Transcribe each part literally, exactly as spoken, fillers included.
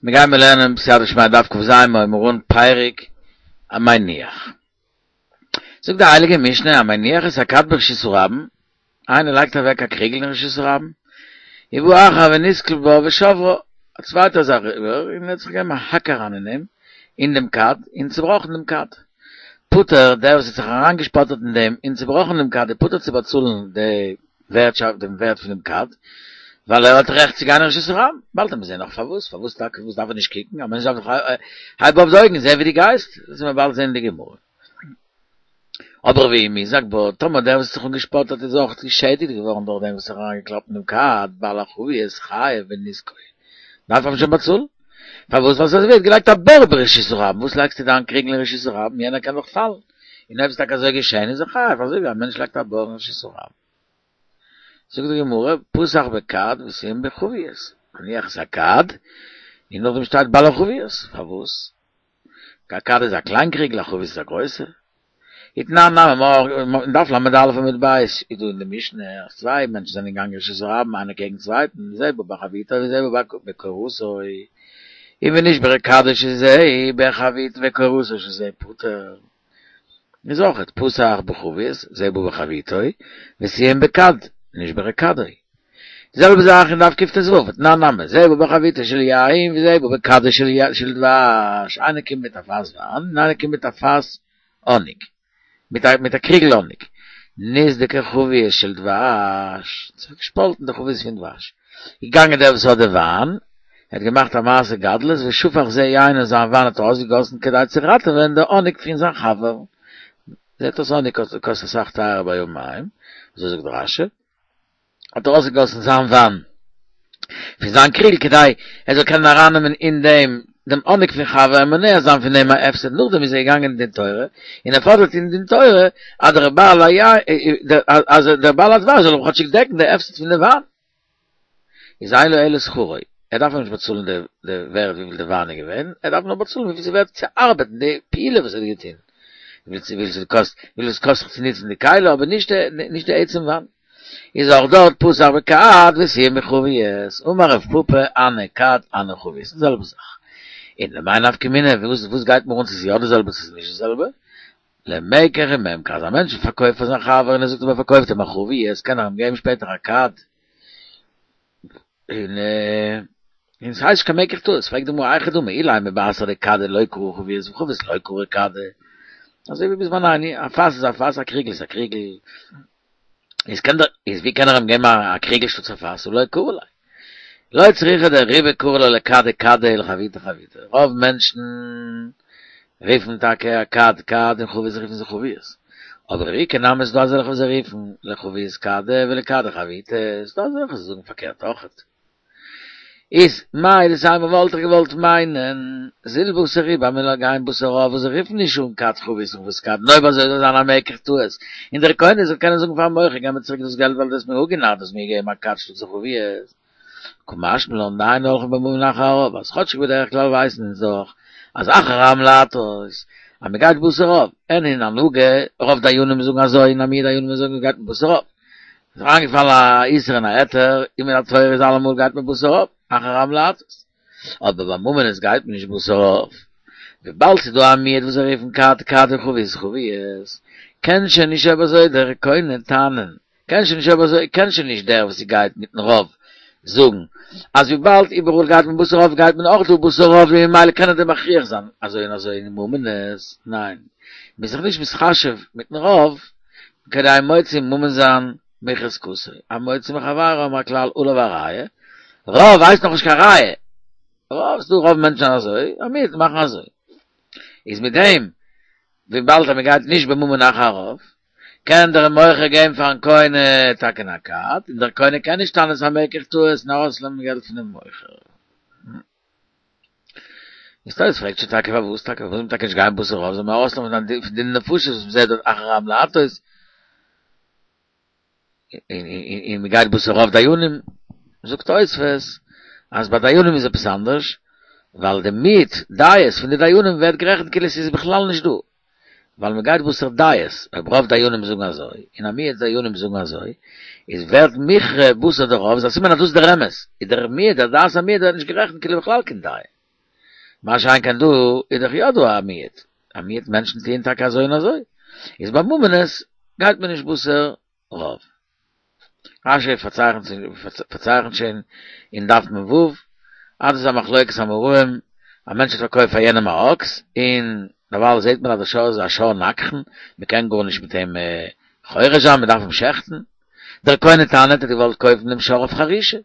מיר גייען מיר לערנען בסייעתא דשמיא דף כ"ז מיר אן פרק המניח. זאגט די הייליגע משנה המניח את הכד ברשות הרבים, איינער לייגט אוועק א קריגל אין רשות הרבים, ובא אחר ונתקל בה ושברה, א צווייטער איז אריבער און ער האט זיך געגעבן א האק אריין אין אים, אין דעם כד, און צובראכן דעם כד. פטור, דער וואס האט זיך אריינגעשפאטערט אין דעם און צובראכן דעם כד איז פטור צו באצאלן די ווערטשאפט דעם ווערט פון דעם כד, ווייל ער האט רעכט צו גיין אין רשות הרבים. באלד וועט מען זען נאך פארוואס, פארוואס טאקע, פארוואס דארף ער נישט קוקן, א מענטש דארף דאך הייב אויף די אויגן זען ווי דו גייסט, דאס וועט מען באלד זען אין די גמרא. אבער ואם הוזק בה, טאמער דער וואס האט זיך אנגעשפארט איז אויך געשעדיגט געווארן דורך דעם וואס האט זיך אריינגעקלאפט אין דעם כד, בעל החבית חייב בנזקו, דארף ער אים שוין באצאלן. פארוואס? ווייל ס'איז אזויווי ער האט געלייגט א בור ברשות הרבים, וואס לייגסטו דיין קריגל אין רשות הרבים, יענער קען דאך פאלן, און אויב איז טאקע אזוי געשען איז ער חייב, אזוי ווי א מענטש לייגט א בור אין רשות הרבים. זאגט די גמרא, פתח בכד וסיים בחבית, מניח את הכד, און נאכדעם שטייט בעל החבית, פארוואס? א כד איז א קליין קריגל, א חבית איז א גרויסע. ותנן נמי אין דף ל"א עמוד ב' איז דא אין די משנה אז צוויי מענטשן זענען געגאנגען רשות הרבים איינער קעגן צווייטן, זה בא בחביתו וזה בא בקורתו, און ונשברה כדו של זה בחביתו וקורתו של זה פטור. איז אויכעט פתח בחבית, זה בא בחביתו, וסיים בכד, נשברה כדו. די זעלבע זאך אין דף קט"ו, ותנן נמי, זה בא בחביתו של יין וזה בא בכדו של דבש, איינער קומט מיט א פאס וויין און איינער קומט מיט א פאס האניג, מיט א קריגל האניג, נסדקה חבית של דבש, ס'האט זיך געשפאלטן די חבית פון דבש, געגאנגען דער וואס האט די וויין, ער האט געמאכט א מעשה גדלות ושפך זה יין און זיין וויין האט ער אויסגעגאסן כדי צו ראטעווען די האניג פון זיין חבר, זעט אויס האניג קאסט אסאך טייערער ביי מים, אזוי זאגט רש"י. האט ער אויסגעגאסן זיין וויין פון זיין קריגל כדי ער זאל קענען ארייננעמען אין דעם דעם האניג פון חבר און מונע זיין פון דעם א הפסד, נאכדעם איז ער געגאנגען אין דין תורה און ער פאדערט אין דין תורה אז דער בעל אז דער בעל הדבש זאל אים כאטשיג דעקן די הפסד פון די וויין. איז אין לו אלא שכרו, ער דארף אים נישט באצאלן די די ווערד וויפיל די וויין איז געווען, ער דארף נאר באצאלן וויפיל ס'איז ווערט צו ארבעטן די פעולה וואס ער האט געטון, וויפיל ס'קאסט וויפיל ס'קאסט זיך צו נוצן די כלי אבער נישט די נישט די עצם וויין. איז אויך דארט פתח בכד וסיים בחבית, אמר רב פפא הני כד הני חבית, די זעלבע זאך. און למאי נפקא מינה, וואס וואס גייט מיר אן צו ס'איז יא די זעלבע צו ס'איז נישט די זעלבע? למקח וממכר, אז א מענטש פארקויפט פאר זיין חבר און ער זאגט אים ער פארקויפט אים א חבית, קען ער אים געבן שפעטער א כד, און און ס'הייסט נישט קיין מקח טעות, פרעגט די גמרא היכי דמי אילימא בתר דכדא לא קרי חבית וחבית לא קרי כדא, אזוי ווי בזמנינו, א פאס איז א פאס א קריגל איז א קריגל, איז קען דער איז ווי קען ער אים געבן א קריגל שטאטס א פאס, הא לא קרי ליה. לא צריכא דרובא קרי לה לכדא כדא ולחביתא חביתא, רוב מענטשן רופן טאקע א כד כד און חבית רופן זיי חבית, אבער איכא נמי איז דא אזעלכע וואס זיי רופן לחבית כדא ולכדא חביתא, איז דא אזעלכע וואס זאגן פארקערט אויכעט. איז מהו דתימא וואלט איך געוואלט מיינען זיל בתר רובא אז מ'זאל גיין בתר רוב וואס זיי רופן נישט אן כד חבית און חבית כד און אויב אזוי זאל זיין א מקח טעות און דער קונה זאל קענען זאגן פארן מוכר געב מיר צוריק דאס געלט ווייל דו האסט מיר אפגענארט דו האסט מיר געגעבן א כד שטאטס א חבית קא משמע לן דאין הולכין בממון אחר הרוב אז כאטשיג בדרך כלל ווייסן אונז דאך אז אחר העם להטות אז מ'גייט בתר רוב אין אין הנהגה רוב דיינים זאגן אזוי און א מיעוט דיינים זאגן מ'גייט בתר רוב איז אריינגעפאלן א איסור און א היתר, און מן התורה איז אלעמאל גייט מען בתר רוב, אחר העם להטות. אבער ביי ממונות גייט מען נישט בתר רוב. וויבאלד ס'איז דא א מיעוט וואס זיי רופן כד כד און חבית חבית, קען שוין נישט אויב אזוי דער קונה טענה'ן, קען שוין נישט אויב אזוי, קען שוין נישט דער וואס גייט מיטן רוב זאגן אז וויבאלד איבעראל גייט מען בתר רוב גייט מען אויך דא בתר רוב און ממילא קען ער דיר מכריח זיין אזוי און אזוי אין ממונות, ניין, מ'איז זיך נישט מתחשב מיטן רוב, כדי מוציא ממון זיין מחזקתו, המוציא מחבירו האבן א כלל עליו הראיה, רוב הייסט נאכנישט קיין ראיה, רוב ס'דא רוב מענטשן אזוי, א מיעוט מאכן אזוי, איז מיט דעם וויבאלד אז מ'גייט נישט בממון אחר הרוב, קען דער מוכר געבן פארן קונה טאקע א כד, און דער קונה קען נישט טענה'ן ס'איז א מקח טעות און ארויסנעמען געלט פונעם מוכר. איז תוס' פרעגט שוין טאקע פארוואס טאקע פארוואס זאל מען טאקע נישט גיין בתר רוב זאל מען ארויסלערנען פון די נפשות וואס מ'זעט דארט אחר העם להטות און מ'גייט בתר רוב דיינים זאגט תוספות אז ביי דיינים איז עפעס אנדערש ווייל די מיעוט דעות פון די דיינים ווערט גערעכנט כאילו עס איז בכלל נישט דא ווייל מען גייט בתר דעות, אויב רוב דיינים זאגן אזוי, און א מיעוט דיינים זאגן אזוי, איז ווערט מוכרע בתר די רוב, איז א סימן אז דאס איז דער אמת, איז דער מיעוט, דער דעת המיעוט ווערט נישט גערעכנט כאילו בכלל קיין דעה. מה שאין כן דא, איז דאך יא דא א מיעוט. א מיעוט מענטשן טוען טאקע אזוי און אזוי. איז ביי ממונות גייט מען נישט בתר רוב. רשי פארצייכנט שוין אין דף מ"ו, אז דאס איז א מחלוקת אמוראים, א מענטש האט פארקויפט פאר יענעם א אקס, און דערווייל זעט מען אז דער שור איז א שור נגחן, מען קען גארנישט מיט אים חורש זיין, מען דארף אים שעכטן. דער קונה טענה'ט ער האט געוואלט קויפן דעם שור אויף חרישה,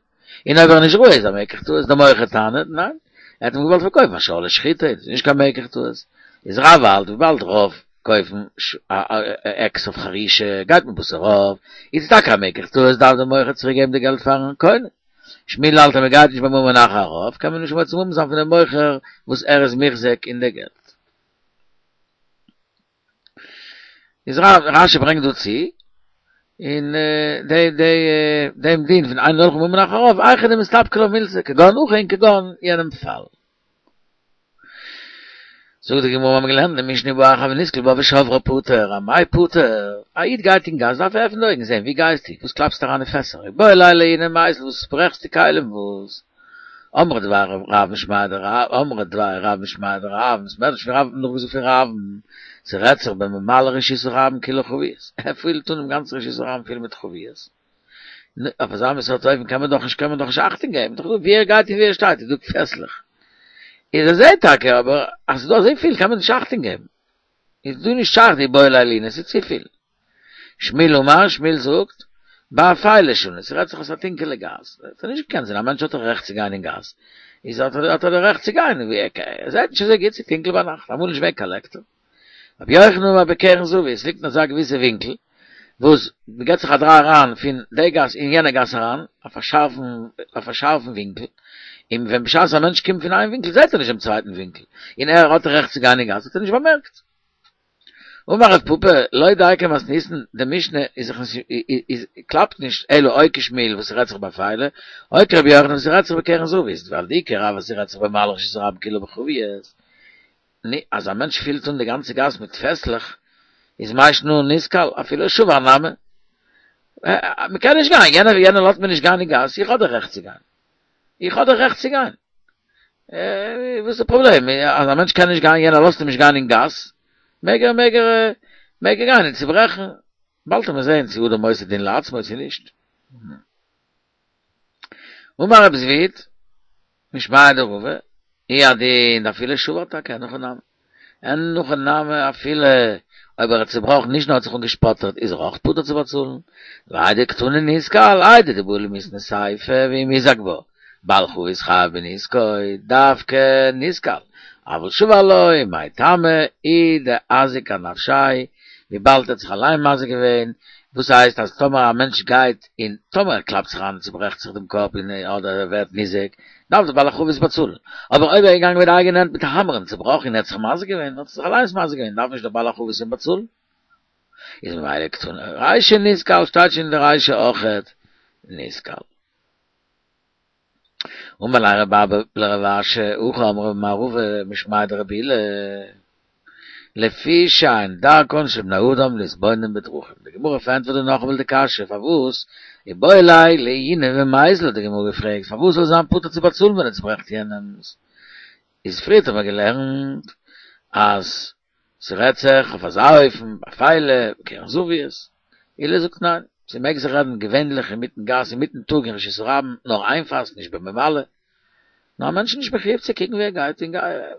און אויב ער איז נישט ראוי איז א מקח טעות, דער מוכר טענה'ט ניין, ער האט אים געוואלט פארקויפן א שור לשחיטה, איז נישט קיין מקח טעות. איז רב האלט וויבאלד רוב קויפן עקס אויף חרישה גייט מען בתר רוב, איז טאקע א מקח טעות דארף דער מוכר צוריק געבן די געלט פארן קונה. שמואל האלט אז מען גייט נישט בממון אחר הרוב קען מען נישט מוציא ממון זיין פונעם מוכר וואס ער איז מוחזק אין די געלט. איז רשי ברענגט דא צו אין די די דעם דין פון אין הולכין בממון אחר הרוב היכא דמסתפקא לה מילתא כגון הכא און כגון יענעם פאל. זאגט די גמרא מיר האבן געלערנט אין די משנה ובא אחר ונתקל בה ושברה פטור, אמאי פטור? א איד גייט אין גאס דארף ער עפענען די אויגן זען ווי גייסטו? וואס קלאפסטו אריין אין פעסער? איבעי ליה לעיוני ומיזל וואס ברעכסטו כלים וואס? אמרי דבי רב משמיה דרב אמרי דבי רב משמיה דרב בית מדרש פון רב האט מען נאכגעזאגט פון רב'ן ס'רעדט זיך בממלא רשות הרבים כולה חביות ער פילט אן דעם גאנצן רשות הרבים פיל מיט חביות נו אויף אזא מין סארט אופן קען מען דאך נישט קען מען דאך נישט אכטונג געבן דאך דא ווי ער גייט און ווי ער שטייט איז דא פעסלעך איז ער זעהט טאקע אבער אז ס'איז דא אזויפיל קען מען נישט אכטונג געבן איז דא נישט שייך דאיבעי ליה לעיוני ס'איז צופיל. שמואל אמר, שמואל זאגט, באפילה שנו, ס'רעדט זיך אויס א טונקעלע גאס, האט ער נישט געקענט זען, א מענטש האט דאך רעכט צו גיין אין גאס, איז האט ער האט ער די רעכט צו גיין, ווי ער ער זעט נישט אזוי גוט, ס'איז טונקל ביינאכט, אמאל נישט געווען קיין לעקטער. רבי יוחנן אמר בקרן זווית, עס ליגט אין אזא געוויסע ווינקל, וואס מ'געט זיך א דריי אריין פון די גאס אין יענע גאס אריין, אויף א שארפן אויף א שארפן ווינקל, און ווען בשעת א מענטש קומט פון איין ווינקל זעט ער נישט דעם צווייטן ווינקל, און ער האט רעכט צו גיין אין גאס האט ער נישט באמערקט. אמר רב פפא, לא דייקא מתניתין, די משנה איז זיך נישט איז קלאפט נישט אלא או כשמואל וואס ס'רעדט זיך באפילה, או כרבי יוחנן וואס ס'רעדט זיך בקרן זווית, ווייל דאי כרב וואס ס'רעדט זיך במלא רשות הרבים כולה בחביות, נו, אז א מענטש פילט אן די גאנצע גאס מיט פעסלעך, איז מאי שנא נתקל, אפילו שבר נמי. מ'קען נישט גיין, יענער יענער לאזט מיר נישט גיין אין גאס, איך האב די רעכט צו גיין. איך האב די רעכט צו גיין. וואס איז די פראבלעם? אז א מענטש קען נישט גיין, יענער לאזט אים נישט גיין אין גאס, מעג ער מעג ער מעג ער גיין און צוברעכן. באלד וועט מען זען צו אדם עושה דין לעצמו צו נישט. אמר רב זביד, משמיה דרבא, הוא הדין דאפילו שבר טאקע אין הכי נמי. אין הכי נמי אפילו אויב ער האט צובראכן נישט נאר האט זיך אנגעשפאטערט איז ער אויך פטור צו באצאלן. והאי דקתני נתקל, איידי דבעי למיתני סיפא ואי מיזק בה, בעל חבית חייב בנזקו, דווקא נתקל, אבל שבר לא, מאי טעמא, הוא דאזיק אנפשיה, וויבאלד ער האט זיך אליין מזיק געווען, וואס הייסט אז טאמער א מענטש גייט און טאמער ער קלאפט זיך איין און צוברעכט זיך דעם קאפ און אדער ער ווערט ניזוק, דארף דער בעל החבית באצאלן, אבער אויב ער איז געגאנגען מיט די אייגענע הענט מיט א האמער און צובראכן און ער האט זיך מזיק געווען, האט ער זיך אליינס מזיק געווען, דארף נישט דער בעל החבית אים באצאלן. איז ממילא קתני רישא נתקל שטייט שוין אין די רישא אויכעט נתקל. אמר ליה רב אבא לרב אשי, הכי אמרי מר רבא משמיה דרבי אילא, לפי שאין דרכן של בני אדם להתבונן בדרכים. די גמרא פארענטפערט דא נאכאמאל די קשיא, פארוואס איבעי ליה לעיוני ומיזל האט די גמרא געפרעגט, פארוואס זאל זיין פטור צו באצאלן ווען ער צוברעכט יענעמס? איז פריערט האט מען געלערנט אז ס'רעדט זיך אויף אזא אופן, באפילה, בקרן זווית. עולא זאגט ניין, ס'מעג זיך רעדן געווענליך אינמיטן גאס אינמיטן טאג אין רשות הרבים, נאר איין פאס נישט בממלא. נאר א מענטש איז נישט מחויב צו קוקן ווי ער גייט און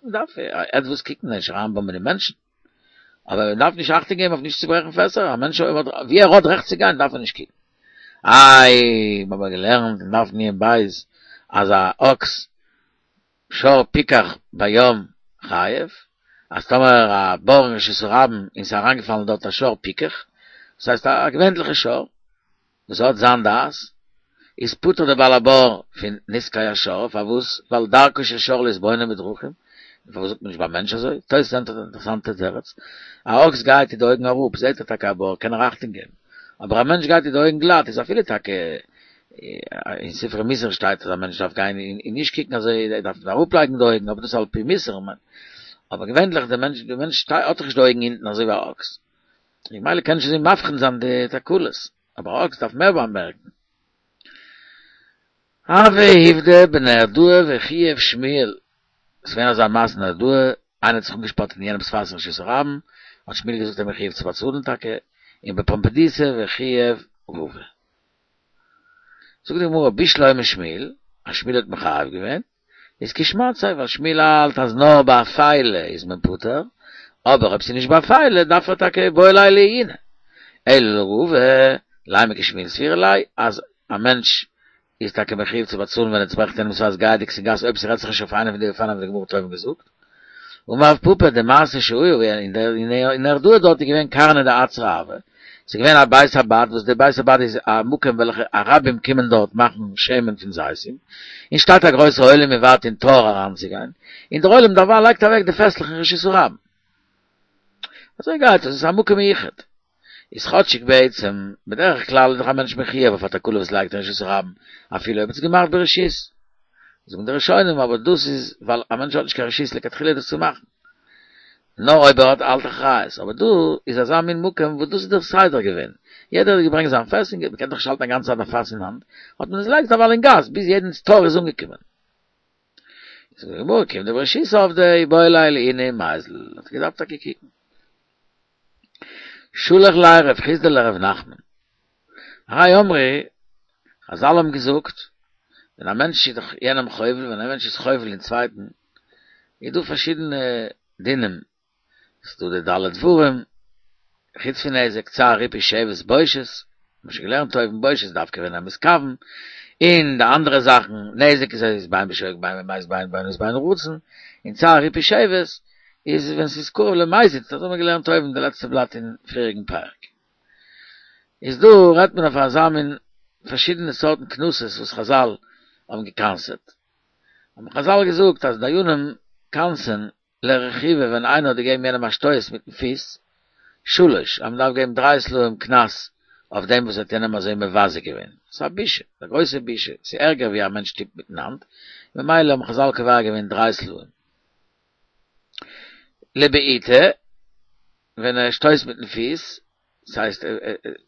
מ'דארף עטוואס קוקן נישט אריינבאמבען אין מענטשן. אבער מען דארף נישט אכטונג געבן אויף נישט צו ברעכן פעסער, א מענטש ווי ער האט רעכט צו גיין דארף ער נישט קוקן. איי, מ'האט געלערנט אין דף נון בית אז א אקס שור פיקח בים חייב, אז טאמער א בור אין רשות הרבים און ס'איז אריינגעפאלן דארט א שור פיקח, דאס הייסט א געווענליכע שור וואס האט זיין דעת, איז פטור דער בעל הבור פון נזקי השור, פארוואס? ווייל דרכו של שור להתבונן בדרכים, און פארוואס זאגט מען נישט ביי מענטש אזוי? תוס' ענטפערט אן אינטערעסאנטע תירוץ, א אקס גייט מיט די אויגן אראפ, זעט ער טאקע א בור, קען ער אכטונג געבן, אבער א מענטש גייט מיט די אויגן גלאט, איז אפילו טאקע אין ספרי מוסר שטייט אז א מענטש דארף גיין און נישט קוקן אזוי, ער דארף אראפלייגן די אויגן, אבער דאס איז על פי מוסר, אבער געווענליך די מענטש די מענטש האט דאך נישט די אויגן אונטן אזוי ווי א אקס, ממילא קען נישט אזוי מבחין זיין די תקלות, אבער א אקס דארף מער באמערקן. הוה עובדא בנהרדעא וחייב שמואל. ס'איז געווען אזא מעשה אין נהרדעא, איינער האט זיך אנגעשפארט אין יענעמ'ס פאס אין רשות הרבים, האט שמואל געזאגט ער איז מחויב צו באצאלן טאקע, און בפומבדיתא וחייב רבא. זאגט די גמרא בשלמא שמואל, אז שמואל האט מחייב געווען, איז כשמעתיה, ווייל שמואל האלט אז נאר ביי אפילה איז מען פטור, אבער אויב ס'איז נישט באפילה דארף ער טאקע איבעי ליה לעיוני. אלא לרבא, לימא כשמואל סבירא ליה, אז א מענטש איז טאקע מחויב צו באצאלן ווען ער צוברעכט יענעמ'ס פאס גייענדיג אין גאס אויב ס'רעדט זיך נישט אויף איינע פון די אופנים וואס די גמרא האט אויבן געזאגט. אמר רב פפא די מעשה שהיה אין נהרדעא דארט איז געווען קרנא דאצרא הוה, ס'איז געווען א בית הבד וואס די בית הבד איז א מקום וועלכע ערבים קומען דארט מאכן שמן פון זיתים, און שטייט א גרויסע עולם און ווארט אין תור אריינצוגיין, און דער עולם דערווייל לייגט אוועק די פעסלעך אין רשות הרבים. אזוי גייט עס, עס איז א מקום מיוחד. איז כאטשיג בעצם, בדרך כלל איז דאך א מענטש מחויב אויף א תקלה וואס לייגט אין רשות הרבים, אפילו אויב האט עס געמאכט ברשות. זאגן די ראשונים אבער דאס איז ווייל א מענטש האט נישט קיין רשות לכתחילה דאס צו מאכן. נאר אויב ער האט האלט אחריות. אבער דא איז אזא מין מקום וואס דאס איז דער סדר געווען. יעדער האט געברענגט זיין פעס און מ'קען דאך נישט האלטן א גאנצע צייט א פאס אין האנט, האט מען עס געלייגט א ווייל אין גאס ביז יעדנס תור איז אנגעקומען. זאגט די גמרא כיון דברשות עבדי איבעי ליה לעיוני ומיזל, האט ער געדארפט טאקע קוקן. שלח ליה רב חסדא לרב נחמן. הרי אמרו, חזל האבן געזאגט, ווען א מענטש איז דאך יענעם חובל, ווען א מענטש איז חובל אין צווייטן, איז דא פארשידענע דינים, ס'איז דא די ד' דברים, חוץ פון נזק, צער, ריפוי, שבת, בושת, מ'האט שוין געלערנט אויבן בושת דווקא ווען ער מתכוון, און די אנדערע זאכן, נזק איז איז בין בשוגג בין במזיד בין באונס בין ברצון, און צער, ריפוי, שבת איז ווען ס'איז קרוב למזיד, דאס האט מען געלערנט אויבן די לעצטע בלאט אין פריעריגן פרק. איז דא רעדט מען אויף אזא מין פארשידענע סארטן קנסות וואס חזל האבן געקנס'עט. האבן חזל געזאגט אז דיינים קנס'ען לרכיבה ווען איינער האט געגעבן יענעם א שטויס מיטן פיס, שלש, אז מען דארף געבן דריי סלעים קנס אויף דעם וואס האט יענעם אזוי מבזה געווען. ס'איז א בושה, א גרויסע בושה, ס'איז ערגער ווי א מענטש שטופט מיטן האנט, ממילא האבן חזל קובע געווען דריי סלעים. לבעיטה, ווען ער שטויסט מיטן פיס, ס'הייסט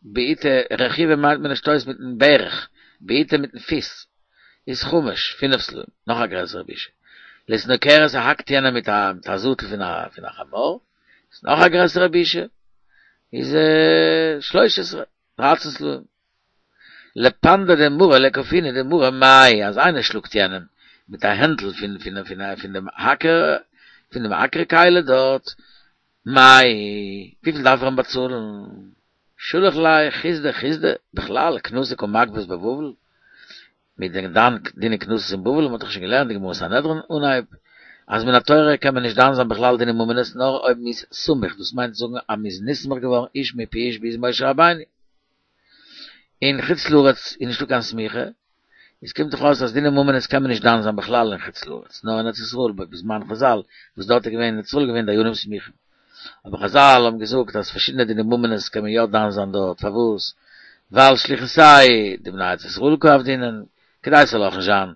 בעיטה, רכיבה מיינט מען ער שטויסט מיטן ברך, בעיטה מיטן פיס, איז חמש, פינף סלעים, נאך א גרעסערע בושה. לסנוקרת ער האקט יענעם מיט א מיט א זאטל פון א פון א חמור, איז נאך א גרעסערע בושה, איז שלש עשרה, דרייצן סלעים. לפנדא דמרא לכפינא דמרא מאי, אז איינער שלאגט יענעם מיט א הענטל פון פון פון פון דעם האקער, פון דעם האקער כלי דארט, מאי, וויפיל דארף ער אים באצאלן? שלח ליה חסדא חסדא, בכלל קנסא קא מגבית בבבל, מ'איז דען דן דיני קנסות אין בבל, מ'האט דאך שוין געלערנט די גמרא סנהדרין אנהייב, אז מן התורה קען מען נישט דן זיין בכלל דיני ממונות נאר אויב מ'איז סמוך, דאס מיינט זאגן אז מ'איז נסמך געווארן איש מפי איש ביז משה רבינו. אין חוץ לארץ איז נישטא קיין סמיכה, עס קומט דאך אויס אז דיני ממונות קען מען נישט דן זיין בכלל אין חוץ לארץ, נאר אין ארץ ישראל בזמן חזל, וואס דארט איז געווען אין ארץ ישראל געווען דיינים סמוכים. אבער חזל האבן געזאגט אז פארשידענע דיני ממונות קען מען יא דן זיין דארט, פארוואס? ווייל שליחותייהו דבני ארץ ישראל קא עבדינן, כדי ס'זאל אויך נישט זיין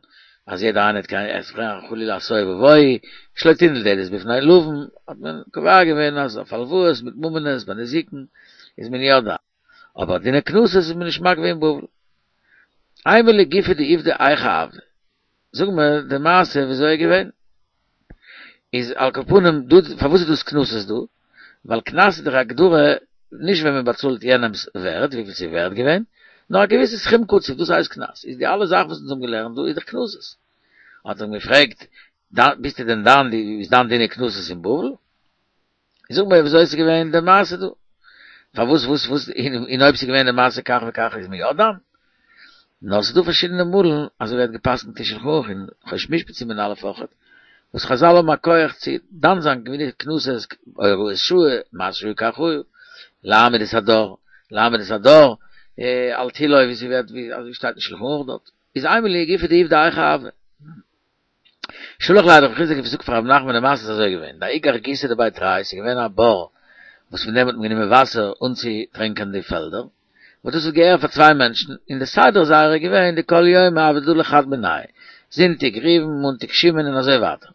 אז יעדער איינער האט קיין עס פרעגן חלילה א תוהו ובוהו, שלא תנעול דלת בפני לווין, האט מען קובע געווען אז אויף הלוואות מיט ממונות ביי נזיקין איז מען יא דן, אבער דיני קנסות איז מען נישט מגבה אין בבל. אימא לגופיה דעובדא היכי עבדי, זאג מיר די מעשה וויאזוי איז געווען. איז על כל פנים דא פארוואס איז דאס קנסות דא? ווייל קנס איז דאך א הגדרה נישט ווען מען באצאלט יענעמס ווערד וויפיל ס'איז ווערד געווען, נאר א געוויסע סכום קצוב דאס הייסט קנס, איז די אלע זאכן וואס אונז האבן געלערנט דא איז דאך קנסות. האט ער אים געפרעגט, ביסטו דען דן די ביסט דן דיני קנסות אין בבל? זאג מיר וויאזוי איז געווען די מעשה דא? פארוואס וואס וואס און אויב ס'איז געווען די מעשה כך וכך איז מען יא דן? נאר ס'איז דא פארשידענע מאלן אזוי ווערט געפסקנט אין שלחן ערוך אין חושן משפט סימן א' אויכעט וואס חזל האבן א כח צו דן זיין דיני קנסות הוראת שעה מעשה שהיה כך היה להעמיד את הדור להעמיד את הדור על תילו ווי ס'ווערט ווי אזוי שטייט אין שלחן ערוך דארט איז אימא לגופיה דעובדא היכי עבדי. שלח ליה רב חסדא געזאגט פאר רב נחמן די מעשה איז אזוי געווען, דההוא גרגותא דבי תרי, ס'איז געווען א בור וואס פון דעם האט מען גענומען וואסער אנצוטרענקען די פעלדער, וואס דאס האט געהערט פאר צוויי מענטשן, און די סדר זייער איז געווען דכל יומא הוה דלי חד מינייהו, זונטאג ראובן, מאנטאג שמעון און אזוי ווייטער.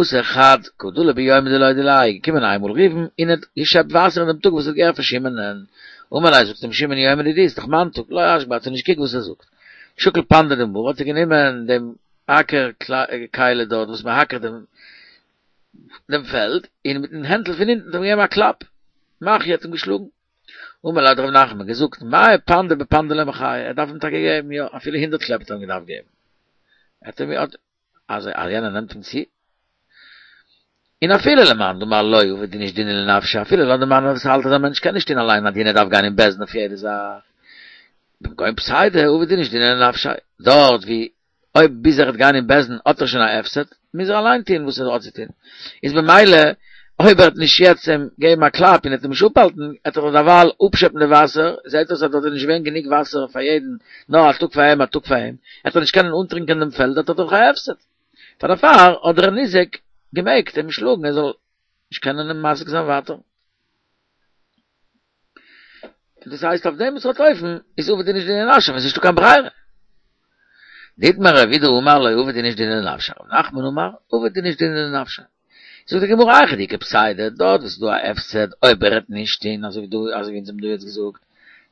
אתא חד קא דלי ביומא דלא דיליה, איז געקומען איינמאל ראובן און האט געשעפט וואסער אין דעם טאג וואס האט געהערט פאר שמעונ'ען, אמר ליה זאגט אים שמעון יומא דידי, ס'איז דאך מיין טאג, לא אשגביה האט ער נישט געקוקט וואס ער זאגט, שקל פנדא דמרא האט ער גענומען דעם אקער קיילע דארט וואס מען האקערט דעם דעם פעלד, און מיטן הענטל פון הינטן האט אים געגעבן א קלאפ, מחייה, האט אים געשלאגן. אמר ליה האט רב נחמן געזאגט, מאה פנדי בפנדא לא מחייה, ער דארף אים טאקע געבן, יא, אפילו הונדערט קלעפ האט ער אים געדארפט געבן. ער האט אים, אז יענער נעמט אים צו. און אפילו למאן דאמר לא עביד איניש דינא לנפשיה, אפילו לויט די מאן וואס האלט אז א מענטש קען נישט טון אליין א דין ער דארף גיין אין בית דין אויף יעדע זאך, במקום פסידא עביד איניש דינא לנפשיה, דארט ווי אויב ביז ער וועט גיין אין בית דין האט ער שוין א הפסד, מוז ער אליין טון וואס ער האט צו טון, איז במילא אויב ער וועט נישט יעצט אים געבן א קלאפ און ער וועט אים נישט אפהאלטן, וועט ער דערווייל אפשעפן די וואסער, זעט אויס אז דארט איז נישט געווען גענוג וואסער פאר יעדן, נאר א טאג פאר אים א טאג פאר אים, וועט ער נישט קענען אנטרינקען דעם פעלד האט ער דאך א הפסד. פאר דערפאר האט דער ניזק געמעגט אים שלאגן ער זאל נישט קענען אים מזיק זיין ווייטער. דאס הייסט אויף דעם סארט אופן איז עביד איניש דינא לנפשיה ווען ס'איז נישטא קיין ברירה. דאיתמר רב אידי אמר לא עביד איניש דינא לנפשיה, רב נחמן אמר עביד איניש דינא לנפשיה. זאגט די גמרא היכא דאיכא פסידא, דארט וואס איז דא א הפסד אויב ער וועט נישט טון אזוי ווי דא אזוי ווי אונז האבן דא יעצט געזאגט,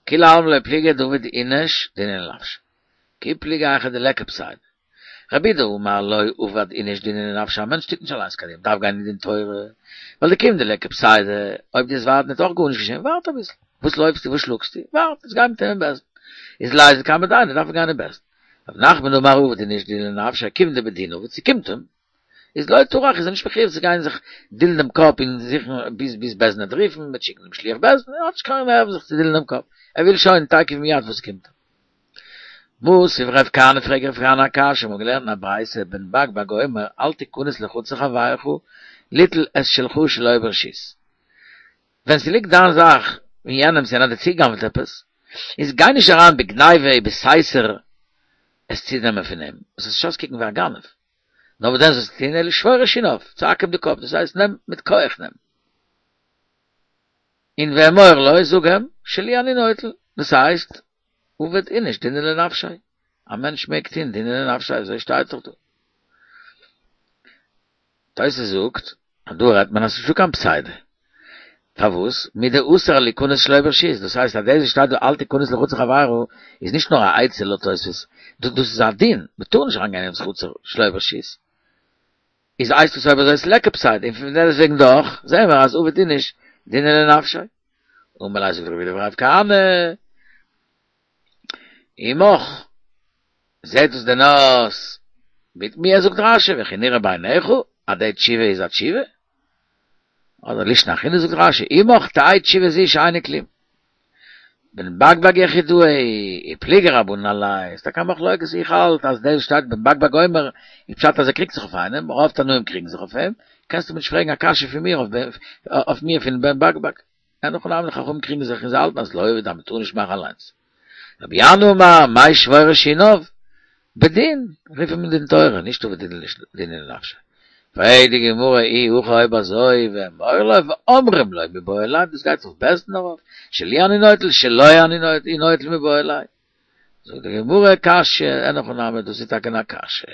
כולי עלמא לא פליגי דעביד איניש דינא לנפשיה. כי פליגי היכא דליכא פסידא. רב אידי אמר לא עביד איניש דינא לנפשיה, א מענטש טוט נישט אליינס קיין דין, דארף גיין אין דין תורה, ווייל דכיון דליכא פסידא, אויב דו וועסט ווארטן וועט אויך גארנישט געשען, ווארט אביסל, וואס לויפסטו וואס שלאגסטו, ווארט, עס גיי מיט אים אין בית דין, איז ליזיל קמי דיינא דארף ער גיין אין בית דין. רב נחמן אמר עביד איניש דינא לנפשיה, כיון דבדין עביד, ס'קומט אים, איז לא טרח איז ער נישט מחויב צו גיין זיך דילן דעם קאפ און זוכן ביז ביז בית דין וועט רופן, מ'וועט שיקן דעם שליח בית דין, ער האט נישט קיין נערוון זיך צו דילן דעם קאפ, ער וויל שוין תיכף ומיד וואס קומט אים. מתיב רב כהנא פרעגט רב כהנא א קשיא, מ'האט געלערנט אין א ברייתא בן בג בג אומר אל תכנס לחצר חברך ליטול את שלך שלא ברשות. ווען ס'ליגט דיין זאך אין יענעמ'ס יענער האט דיר צוגע'גנב'ט עפעס, איז גיי נישט אריין בגניבה ובסתר עס צונעמען פון אים, וואס וועסט אויסקוקן ווי א גנב. נאר וואס דען זאלסטו טון אלא שבור את שיניו, צוהאק אים די קאפ, דאס הייסט נעם מיט כח נעם. און ואמור לו, זאג אים, שלי אני נוטל, דאס הייסט, עביד איניש דינא לנפשיה, א מענטש מעג טון דינא לנפשיה, אזוי שטייט דאך דא. תוס' זאגט אז דא רעדט מען אז ס'נישטא קיין פסידא. פארוואס? מדאסר ליכנס שלא ברשות, דאס הייסט אז דאס וואס שטייט דא אל תכנס לחצר חברו איז נישט נאר א עצה לויט תוס', דאס איז א דין, מ'טאר נישט אריינגיין אין חצר שלא ברשות. איז הייסט עס אויב אזוי ס'ליכא פסידא, און פון דעסטוועגן דאך זעהן מיר אז עביד איניש דינא לנפשיה. אמר ליה זאגט רב יהודה אמר רב כהנא, עמך, זעהט עס דען אויס מיט מיר זאגט רשי וכי נראה בעיניך אז די תשובה איז א תשובה? אדער לישנא אחרינא זאגט רשי עמך תהא תשובה זו שאינה כלום. בן בג בג יחידאי ופליגי רבנן עליה, ס'איז טאקע א מחלוקת, איך האלט אז דאס שטייט בן בג בג אומר איז פשט אז ער קריגט זיך אויף איינעם, רוב תנאים קריגן זיך אויף אים, קענסטו מיר נישט פרעגן א קשיא פון מיר אויף מיר פון בן בג בג. אין הכי נמי חכמים קריגן זיך און זיי האלטן אז לא עביד אז מ'טאר נישט מאכן אליינס. רבי ינאי אמר, מאי שבור את שיניו? בדין, רוף אים אין דין תורה, נישט עביד דינא לנפשיה. פרעגט די גמרא אי הכי אויב אזוי ואמור לו ואומרים לו מיבעי ליה, דאס גייט אויף בית דין ארויף, שלי אני נוטל שלו אני נוטל מיבעי ליה. זאגט די גמרא קשיא, אין הכי נמי דאס איז טאקע א קשיא.